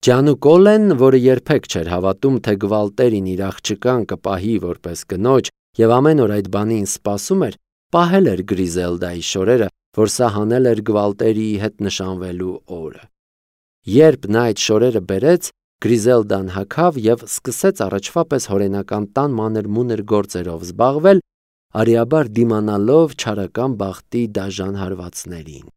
Ջանուկոլեն, որը երբեք չէր հավատում, թե Գվալտերին իր աղջկան կպահի որպես կնոջ և ամեն օր այդ բանին սպասում էր, պահել էր Գրիզելդայի շորերը, որ սա հանել էր Գվալտերիի հետ նշանվելու օրը։ Երբ նա այդ շորերը բերեց, Գրիզելդան հագավ և սկսեց առաջվա պես հորենական տան մանր-մունր գործերով զբաղվել, արիաբար դիմանալով չարական բախտի դաժան հարվածներին։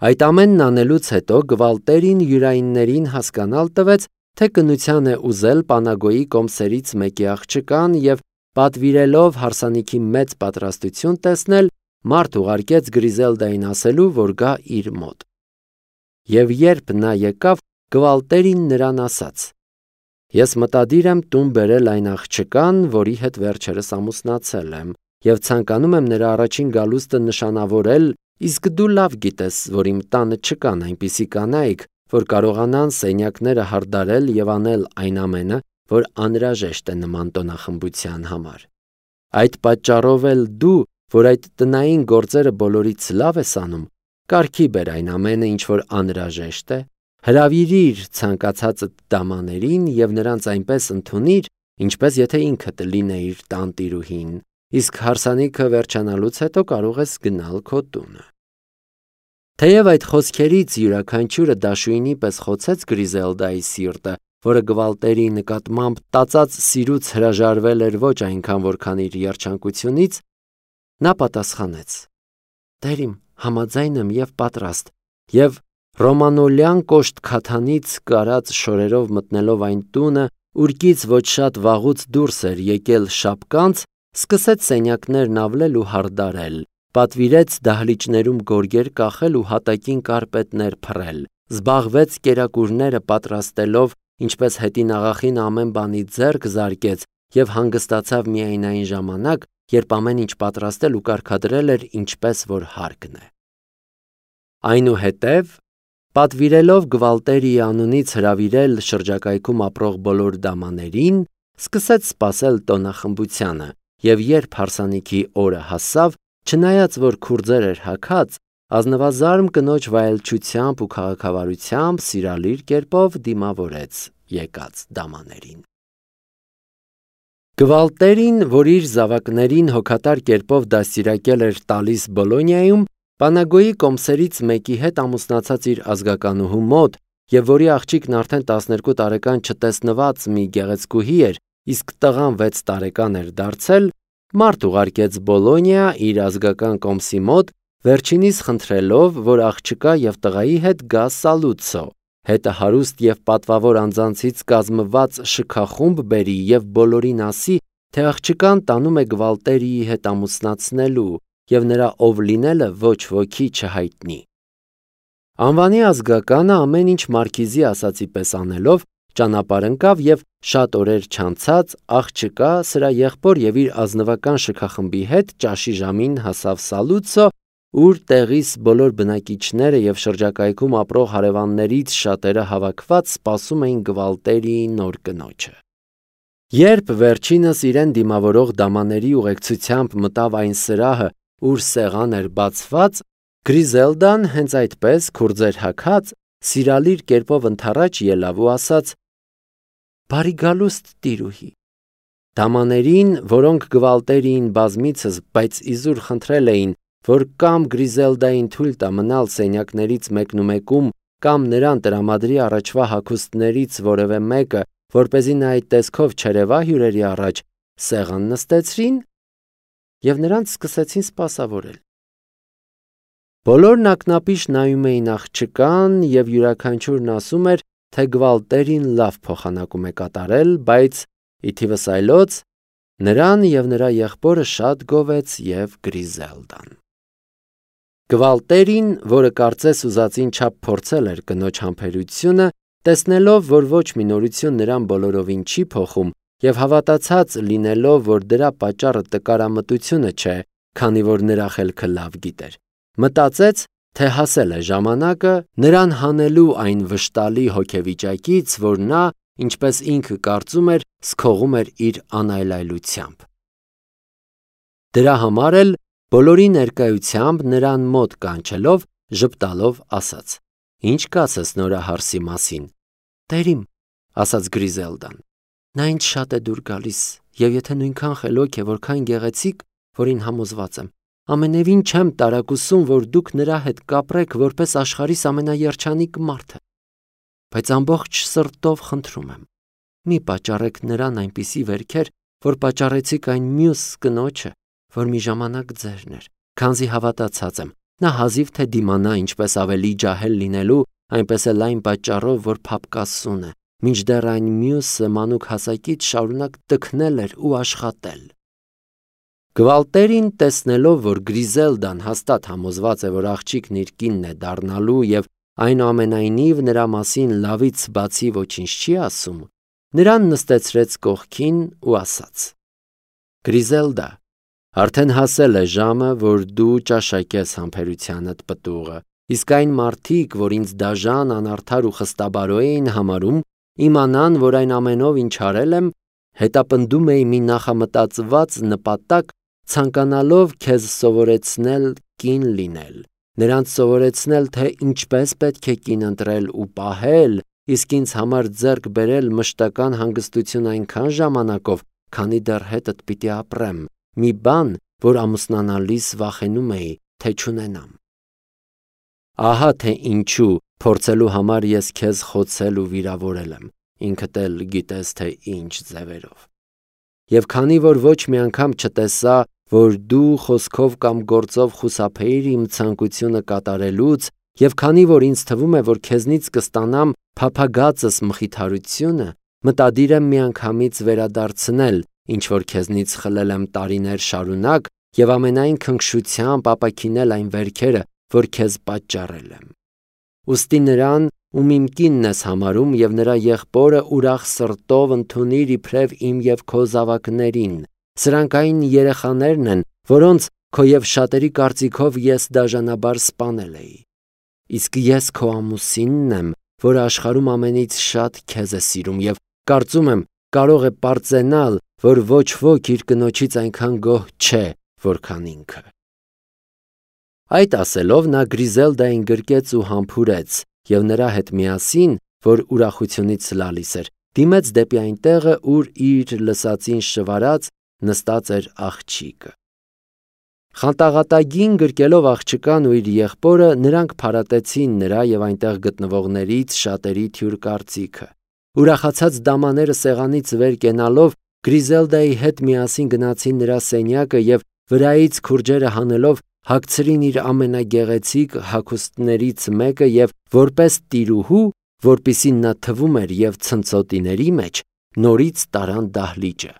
Այդ ամենն անելուց հետո Գվալտերին յուրայիններին հասկանալ տվեց, թե կնության է ուզել Պանագոյի կոմսերից մեկի աղջկան և պատվիրելով հարսանիքի մեծ պատրաստություն տեսնել, մարդ ուղարկեց Գրիզելդային ասելու, որ գա իր մոտ։ Եվ երբ նա եկավ, Գվալտերին նրան ասաց. «Ես մտադիր եմ տուն բերել այն աղջկան, որի հետ վերջերս ամուսնացել եմ, և ցանկանում եմ նրա առաջին գալուստը նշանավորել, իսկ դու լավ գիտես, որ իմ տանը չկան այնպիսի կանայք, որ կարողանան սենյակները հարդարել և անել այն ամենը, որ անհրաժեշտ է նման տոնախմբության համար։ Այդ պատճառով էլ դու, որ այդ տնային գործերը բոլորից լավ ես անում, կարգի բեր այն ամենը, ինչ որ անհրաժեշտ է, հրավիրիր ցանկացածդ դամաներին և նրանց այնպես ընդունիր, ինչպես եթե ինքդ լինեիր տանտիրուհին, իսկ հարսանիքը վերջանալուց հետո կարող ես գնալ քո տունը»։ Թեև այդ խոսքերից յուրաքանչյուրը դաշույնի պես խոցեց Գրիզելդայի սիրտը, որը Գվալտերիի նկատմամբ տածած սիրուց հրաժարվել էր ոչ այնքան, որքան իր երջանկությունից, նա պատասխանեց. «Տեր իմ, համաձայն եմ և պատրաստ», և Ռոմանոլյան կոշտ քաթանից կարած շորերով մտնելով այն տունը, ուր կից ոչ շատ վաղուց դուրս էր եկել շապկանց, սկսեց սենյակներն ավլել ու հարդարել, պատվիրեց դահլիճներում գորգեր կախել ու հատակին կարպետներ փռել, զբաղվեց կերակուրները պատրաստելով, ինչպես հետին աղախին ամեն բանից ձեռք զարկեց և հանգստացավ միայն այն ժամանակ, երբ ամեն ինչ պատրաստել ու կարգադրել էր ինչպես որ հարկն է։ Այնուհետև, պատվիրելով Գվալտերիի անունից հրավիրել շրջակայքում ապրող բոլոր դամաներին, սկսեց սպասել տոնախմբությանը, և երբ հարսանիքի օրը հասավ, չնայած որ քուրձեր էր հագած, ազնվազարմ կնոջ վայելչությամբ ու քաղաքավարությամբ սիրալիր կերպով դիմավորեց եկած դամաներին։ Գվալտերին, որ իր զավակներին հոգատար կերպով դաստիարակել էր տալիս Բոլոնիայում, Պանագոյի կոմսերից մեկի հետ ամուսնացած իր ազգականուհու մոտ, և որի աղջիկն արդեն 12 տարեկան չտեսնված մի գեղեցկուհի էր, իսկ տղան 6 տարեկան էր դարձել, մարդ ուղարկեց Բոլոնիա իր ազգական կոմսի մոտ, վերջինիս խնդրելով, որ աղջկա և տղայի հետ գա Սալուցո, հետը հարուստ և պատվավոր անձանցից կազմված շքախումբ բերի և բոլորին ասի, թե աղջկան տանում է Գվալտերիի հետ ամուսնացնելու և նրա ով լինելը ոչ ոքի չհայտնի։ Անվանի ազգականը ամեն ինչ մարքիզի ասածի պես անելով, ճանապարհ ընկավ և շատ օրեր չանցած աղջկա, սրա եղբոր և իր ազնվական շքախմբի հետ ճաշի ժամին հասավ Սալուցո, ուր տեղիս բոլոր բնակիչները և շրջակայքում ապրող հարևաններից շատերը հավաքված սպասում էին Գվալտերիի նոր կնոջը։ Երբ վերջինս իրեն դիմավորող դամաների ուղեկցությամբ մտավ այն սրահը, ուր սեղան էր բացված, Գրիզելդան հենց այդպես քուրձեր հագած սիրալիր կերպով ընդառաջ ելավ ու ասաց. «Բարի գալուստ տիրուհի»։ Դամաներին, որոնք Գվալտերիին բազմիցս, բայց իզուր խնդրել էին, որ կամ Գրիզելդային թույլ տա մնալ սենյակներից մեկնումեկում, կամ նրան տրամադրի առաջվա հագուստներից որևէ մեկը, որպեսզի նա այդ տեսքով չերևա հյուրերի առաջ, սեղան նստեցրին և նրանց սկսեցին սպասավորել։ Բոլորն ակնապիշ նայում էին աղջկան և յուրաքանչյուրն ասում էր, թե Գվալտերին լավ փոխանակում է կատարել, բայց ի թիվս այլոց նրան և նրա եղբորը շատ գովեց և Գրիզելդան։ Գվալտերին, որը կարծես ուզածին չափ փորձել էր կնոջ համբերությունը, տեսնելով, որ ոչ մի նորություն նրան բոլորովին չի փոխում և հավատացած լինելով, որ դրա պատճառը տկարամտությունը չէ, քանի որ նրա խելքը լավ գիտեր, մտածեց, թե հասել է ժամանակը նրան հանելու այն վշտալի հոգեվիճակից, որ նա, ինչպես ինքը կարծում էր, զքողում էր իր անայլայլությամբ։ Դրա համար էլ բոլորի ներկայությամբ նրան մոտ կանչելով, ժպտալով ասաց. «Ինչ կասես նորահարսի մասին, Տերիմ, ասաց Գրիզելդան, նա ինձ շատ է դուր գալիս, եւ եթե նույնքան խելոք է, որքան գեղեցիկ, որին համոզված եմ, ամենևին չեմ տարակուսում, որ դուք նրա հետ կապրեք որպես աշխարհիս ամենաերջանիկ մարդը, բայց ամբողջ սրտով խնդրում եմ, մի պատճառեք նրան այնպիսի վերքեր, որ պատճառեցիք այն մյուս կնոջը, որ մի ժամանակ ձերն էր, քանզի հավատացած եմ, նա հազիվ թե դիմանա ինչպես ավելի ջահել լինելու, այնպես էլ այն պատճառով, որ փափկասուն է, մինչդեռ այն մյուսը մանուկ հասակից շարունակ տքնել էր ու աշխատել։ Գվալտերին տեսնելով, որ Գրիզելդան հաստատ համոզված է, որ աղջիկն իր կինն է դառնալու եւ այնուամենայնիվ նրա մասին լավից բացի ոչինչ չի ասում, նրան նստեցրեց կողքին ու ասաց. Գրիզելդա, արդեն հասել է ժամը, որ դու ճաշակես համբերությանդ պտուղը, իսկ այն մարդիկ, որ ինձ դաժան, անարդար ու խստաբարո էին համարում, իմանան, որ այն ամենով, ինչ արել եմ, հետապնդում էի մի նախամտածված նպատակ, ցանկանալով քեզ սովորեցնել կին լինել, նրանց սովորեցնել, թե ինչպես պետք է կին ընտրել ու պահել, իսկ ինձ համար ձեռք բերել մշտական հանգստություն այնքան ժամանակով, քանի դեռ հետդ պիտի ապրեմ, մի բան, որ ամուսնանալիս վախենում էի, թե չունենամ։ Ահա թե ինչու փորձելու համար ես քեզ խոցել ու վիրավորել եմ, ինքդ էլ գիտես, թե ինչ ձևերով։ Եվ քանի որ ոչ մի անգամ չտեսա, որ դու խոսքով կամ գործով խուսափեիր իմ ցանկությունը կատարելուց, եւ քանի որ ինձ թվում է, որ քեզնից կստանամ փափագածս մխիթարությունը, մտադիր եմ միանգամից վերադարձնել, ինչ որ քեզնից խլել եմ տարիներ շարունակ եւ ամենայն քնքշությամբ ապաքինել այն վերքերը, որ քեզ պատճառել եմ։ Ուստի նրան, ում իմ կինն ես համարում եւ նրա եղբորը ուրախ սրտով ընդունիր իբրև իմ եւ քո զավակներին, սրանք այն երեխաներն են, որոնց քո եւ շատերի կարծիքով ես դաժանաբար սպանել էի։ Իսկ ես քո ամուսինն եմ, որ աշխարհում ամենից շատ քեզ է սիրում եւ կարծում եմ կարող է պարծենալ, որ ոչ ոք իր կնոջից այնքան գոհ չէ, որքան ինքը։ Այդ ասելով նա Գրիզելդային գրկեց ու համբուրեց եւ նրա հետ միասին, որ ուրախությունից լալիս էր, դիմեց դեպի այն տեղը, ուր իր լսածին շվարած նստած էր աղջիկը։ Խանտաղատագին գրկելով աղջկան ու իր եղբորը, նրանք փարատեցին նրա եւ այնտեղ գտնվողներից շատերի թյուր կարծիքը։ Ուրախացած դամաները սեղանից վեր կենալով Գրիզելդայի հետ միասին գնացին նրա սենյակը եւ վրայից քուրջերը հանելով հագցրին իր ամենագեղեցիկ հագուստներից մեկը եւ որպես տիրուհու, որպիսին նա թվում էր եւ ցնցոտիների մեջ, նորից տարան դահլիճը։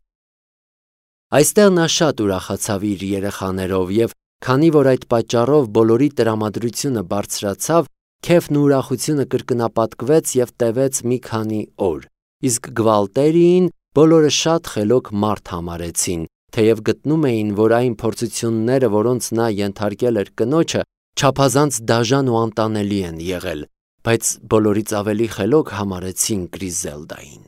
Այստեղ նա շատ ուրախացավ իր երեխաներով եւ քանի որ այդ պատճառով բոլորի տրամադրությունը բարձրացավ, քեֆն ու ուրախությունը կրկնապատկվեց եւ տևեց մի քանի օր։ Իսկ Գվալտերին բոլորը շատ խելոք մարդ համարեցին, թեև գտնում էին, որ այն փորձությունները, որոնց նա ենթարկել էր կնոջը, չափազանց դաժան ու անտանելի են եղել, բայց բոլորից ավելի խելոք համարեցին Գրիզելդային։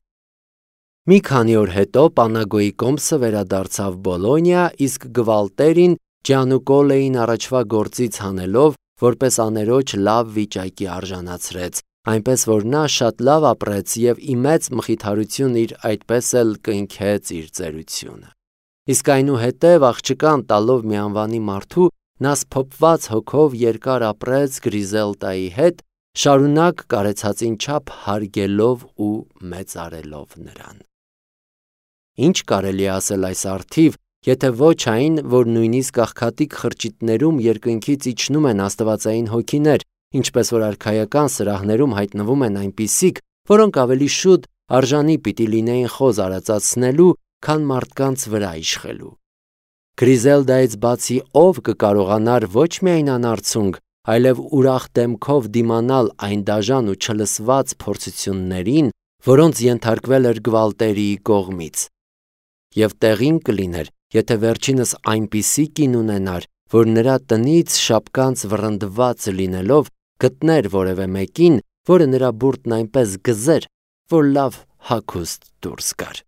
Մի քանի օր հետո Պանագոյի կոմսը վերադարձավ Բոլոնիա, իսկ Գվալտերին Ջանուկոլեին առաջվա գործից հանելով, որպես աներոջ լավ վիճակի արժանացրեց, այնպես որ նա շատ լավ ապրեց եւ ի մեծ մխիթարություն իր այդպես էլ կնքեց իր ծերությունը։ Իսկ այնուհետև աղջկան տալով մի անվանի մարդու, նա սփոփված հոգով երկար ապրեց Գրիզելդայի հետ, շարունակ կարեցածին չափ հարգելով ու մեծարելով նրան։ Ինչ կարելի է ասել այս առթիվ, եթե ոչ այն, որ նույնիսկ աղքատիկ խրճիթներում երկնքից իջնում են աստվածային հոգիներ, ինչպես որ արքայական սրահներում հայտնվում են այնպիսիք, որոնք ավելի շուտ արժանի պիտի լինեին խոզ արածացնելու, քան մարդկանց վրա իշխելու։ Գրիզելդայից բացի ով կկարողանար ոչ միայն անարցունք, այլև ուրախ դեմքով դիմանալ այն դաժան ու չլսված փորձություններին, որոնց ենթարկվել էր Գվալտերիի կողմից։ Եվ տեղին կլիներ, եթե վերջինս այնպիսի կին ունենար, որ նրա տնից շապկանց վռնդված լինելով գտներ որևէ մեկին, որը նրա բուրդն այնպես գզեր, որ լավ հագուստ դուրս գար։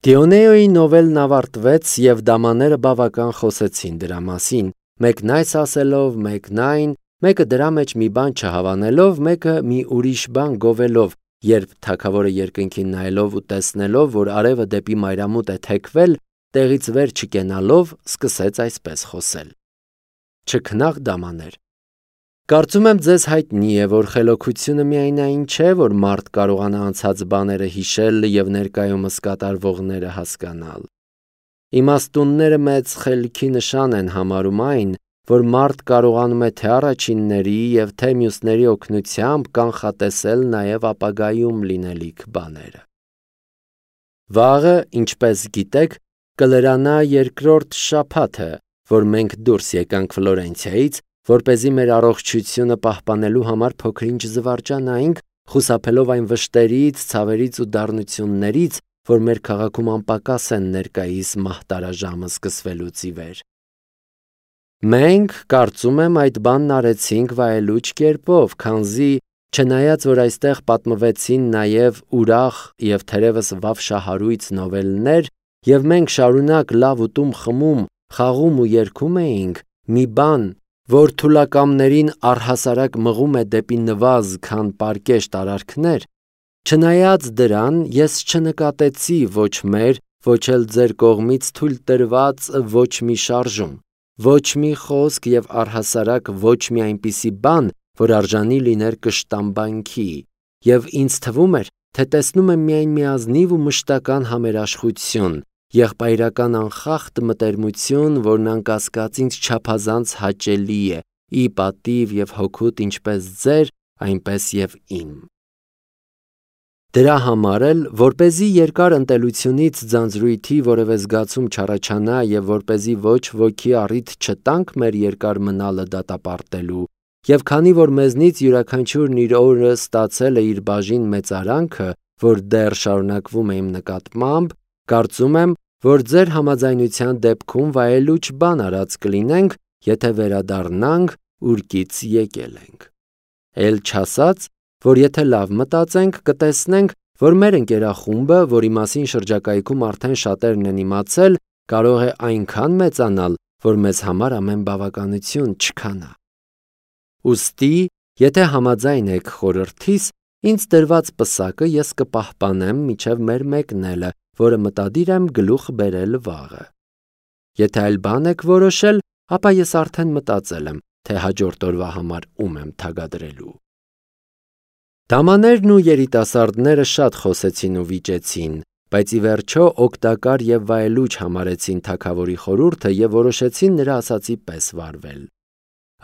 Դիոնեոյի նովելն ավարտվեց եւ դամաները բավական խոսեցին դրա մասին, մեկն այս ասելով, մեկն այն, մեկը դրա մեջ մի բան չհավանելով, մեկը մի ուրիշ բան գովելով, երբ թագավորը երկնքին նայելով ու տեսնելով, որ արևը դեպի մայրամուտ է թեքվել, տեղից վեր չկենալով, սկսեց այսպես խոսել. «Չքնաղ դամաներ, կարծում եմ ձեզ հայտնի է, որ խելոքությունը միայն այն չէ, որ մարդ կարողանա անցած բաները հիշել և ներկայումս կատարվողները հասկանալ։ Իմաստունները մեծ խելքի նշան են համարում այն, որ մարդ կարողանում է թե առաջինների և թե մյուսների օգնությամբ կանխատեսել նաև ապագայում լինելիք բաները։ Վաղը, ինչպես գիտեք, կլրանա երկրորդ շաբաթը, որ մենք դուրս եկանք Ֆլորենցիայից, որպեսզի մեր առողջությունը պահպանելու համար փոքր-ինչ զվարճանայինք, խուսափելով այն վշտերից, ցավերից ու դառնություններից, որ մեր քաղաքում անպակաս են ներկայիս մահտարաժամը սկսվելուց ի վեր։ Մենք, կարծում եմ, այդ բանն արեցինք վայելուչ կերպով, քանզի, չնայած որ այստեղ պատմվեցին նաև ուրախ և թերևս վավշահարույց նովելներ, և մենք շարունակ լավ ուտում, խմում, խաղում ու երգում էինք, մի բան, որ թուլակամներին առհասարակ մղում է դեպի նվազ, քան պարկեշտ արարքներ, չնայած դրան, ես չնկատեցի ոչ մեր, ոչ էլ ձեր կողմից թույլ տրված ոչ մի շարժում, ոչ մի խոսք և առհասարակ ոչ մի այնպիսի բան, որ արժանի լիներ կշտամբանքի, և ինձ թվում էր, թե տեսնում եմ միայն մի ազնիվ ու մշտական համերաշխություն, եղբայրական անխախտ մտերմություն, որն անկասկած ինձ չափազանց հաճելի է, ի պատիվ և հօգուտ ինչպես ձեր, այնպես և իմ։ Դրա համար էլ, որպեսզի երկար ընտելությունից ձանձրույթի որևէ զգացում չառաջանա և որպեսզի ոչ ոքի առիթ չտանք մեր երկար մնալը դատապարտելու, և քանի որ մեզնից յուրաքանչյուրն իր օրը ստացել է իր բաժին մեծարանքը, որ դեռ շարունակվում է իմ նկատմամբ, կարծում եմ, որ ձեր համաձայնության դեպքում վայելուչ բան արած կլինենք, եթե վերադառնանք, ուրկից եկել ենք։ Էլ չասած, որ եթե լավ մտածենք, կտեսնենք, որ մեր ընկերախումբը, որի մասին շրջակայքում արդեն շատերն են իմացել, կարող է այնքան մեծանալ, որ մեզ համար ամեն բավականություն չքանա։ Ուստի, եթե համաձայն եք խորհրդիս, ինձ տրված պսակը ես կպահպանեմ մինչև մեր մեկնելը, որը մտադիր եմ գլուխ բերել վաղը։ Եթե այլ բան եք որոշել, ապա ես արդեն մտածել եմ, թե հաջորդ օրվա համար ում եմ թագադրելու։ Դամաներն ու երիտասարդները շատ խոսեցին ու վիճեցին, բայց ի վերջո օգտակար և վայելուչ համարեցին թագավորի խորհուրդը և որոշեցին նրա ասածի պես վարվել։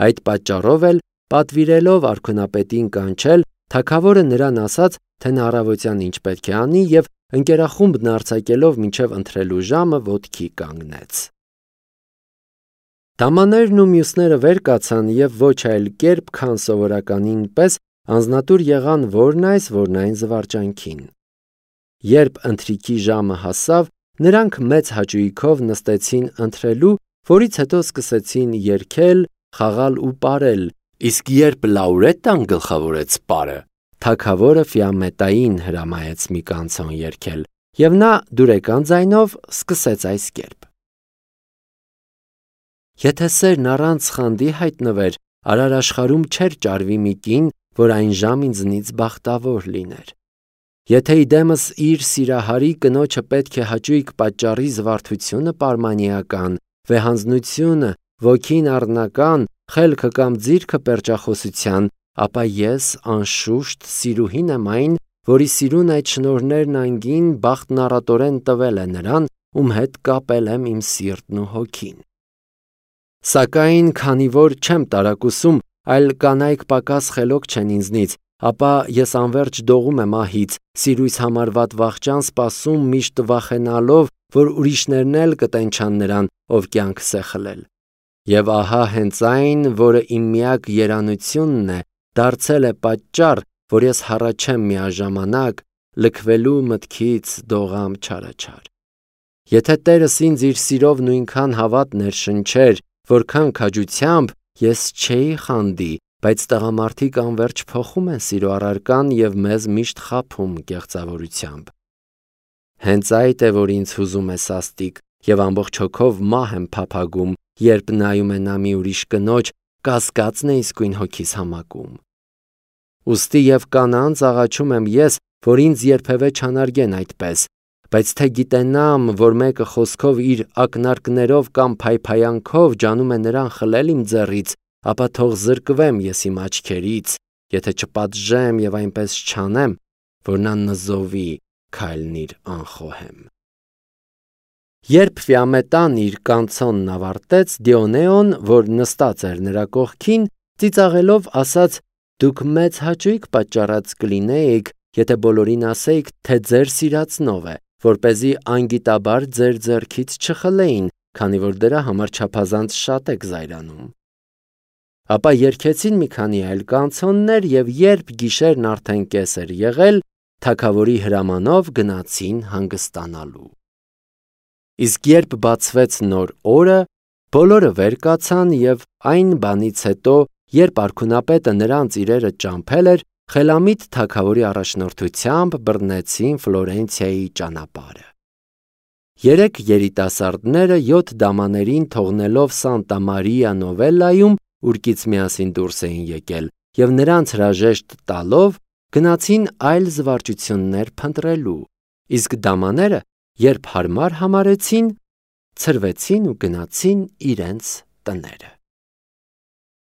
Այդ պատճառով էլ, պատվիրելով արքունապետին կանչել, թագավորը նրան ասաց, թե նա առավոտյան ինչ պետք է անի և ընկերախումբն արձակելով մինչև ընթրելու ժամը ոտքի կանգնեց։ Դամաներն ու մյուսները վեր կացան և ոչ այլ կերպ, քան սովորականին պես անձնատուր եղան որն այս, որն այն զվարճանքին։ Երբ ընթրիքի ժամը հասավ, նրանք մեծ հաճույքով նստեցին ընթրելու, որից հետո սկսեցին երգել, խաղալ ու պարել, իսկ երբ Լաուրետտան գլխավորեց պարը, թագավորը Ֆիամետային հրամայեց մի կանցոն երգել, և նա դուրեկան ձայնով սկսեց այս կերպ. Եթե սերն առանց խանդի հայտնվեր, արար աշխարհում չէր ճարվի մի կին, որ այն ժամ ինձնից բախտավոր լիներ։ Եթե իդեմս իր սիրահարի կնոջը պետք է հաճույք պատճառի զվարթությունը պարմանիական, վեհանձնությունը, ոգին առնական, խելքը կամ ձիրքը պերճախոսության, ապա ես անշուշտ սիրուհին եմ այն, որի սիրուն այդ շնորհներն անգին բախտն առատորեն տվել է նրան, ում հետ կապել եմ իմ սիրտն ու հոգին։ Սակայն քանի որ չեմ տարակուսում, այլ կանայք պակաս խելոք չեն ինձնից, ապա ես անվերջ դողում եմ ահից, սիրույց համարված վախճան սպասում միշտ վախենալով, որ ուրիշներն էլ կտենչան նրան, ով կյանքս է խլել։ Եվ ահա հենց այն, որը իմ միակ երանությունն է, դարձել է պատճառ, որ ես հառաչեմ միաժամանակ, լքվելու մտքից դողամ չարաչար։ Եթե Տերս ինձ իր սիրով նույնքան հավատ ներշնչեր, որքան քաջությամբ, ես չէի խանդի, բայց տղամարդիկ անվերջ փոխում են սիրո առարկան և մեզ միշտ խաբում կեղծավորությամբ։ Հենց այդ է, որ ինձ հուզում է սաստիկ, և ամբողջ հոգով մահ եմ փափագում, երբ նայում է նա մի ուրիշ կնոջ, կասկածն է իսկույն հոգիս համակում։ Ուստի եւ կանանց աղաչում եմ ես, որ ինձ երբևէ չանարգեն այդպես, բայց թե գիտենամ, որ մեկը խոսքով իր ակնարկներով կամ փայփայանքով ջանում է նրան խլել իմ ձեռից, ապա թող զրկվեմ ես իմ աչքերից, եթե չպատժեմ եւ այնպես չանեմ, որ նա նզովի քայլնիր անխոհեմ։ Երբ Ֆիամետան իր կանցոնն ավարտեց, Դիոնեոն, որ նստած էր նրա կողքին, ծիծաղելով ասաց. «Դուք մեծ հաճույք պատճառած կլինեիք, եթե բոլորին ասեիք, թե ձեր սիրածնով է, որպեսզի անգիտաբար ձեր ձեռքից չխլեին, քանի որ դրա համար չափազանց շատ եք զայրանում»։ Ապա երգեցին մի քանի այլ կանցոններ եւ երբ գիշերն արդեն կես էր եղել, թագավորի հրամանով գնացին հանգստանալու։ Իսկ երբ բացվեց նոր օրը, բոլորը վեր կացան եւ այն բանից հետո, երբ արքունապետը նրանց իրերը ճամփել էր, խելամիտ թագավորի առաջնորդությամբ բռնեցին Ֆլորենցիայի ճանապարհը։ 3 երիտասարդները 7 դամաներին թողնելով Սանտա Մարիա Նովելայում ուրկից միասին դուրս էին եկել եւ նրանց հրաժեշտ տալով գնացին այլ զվարճություններ փնտրելու, իսկ դամաները, երբ հարմար համարեցին, ցրվեցին ու գնացին իրենց տները։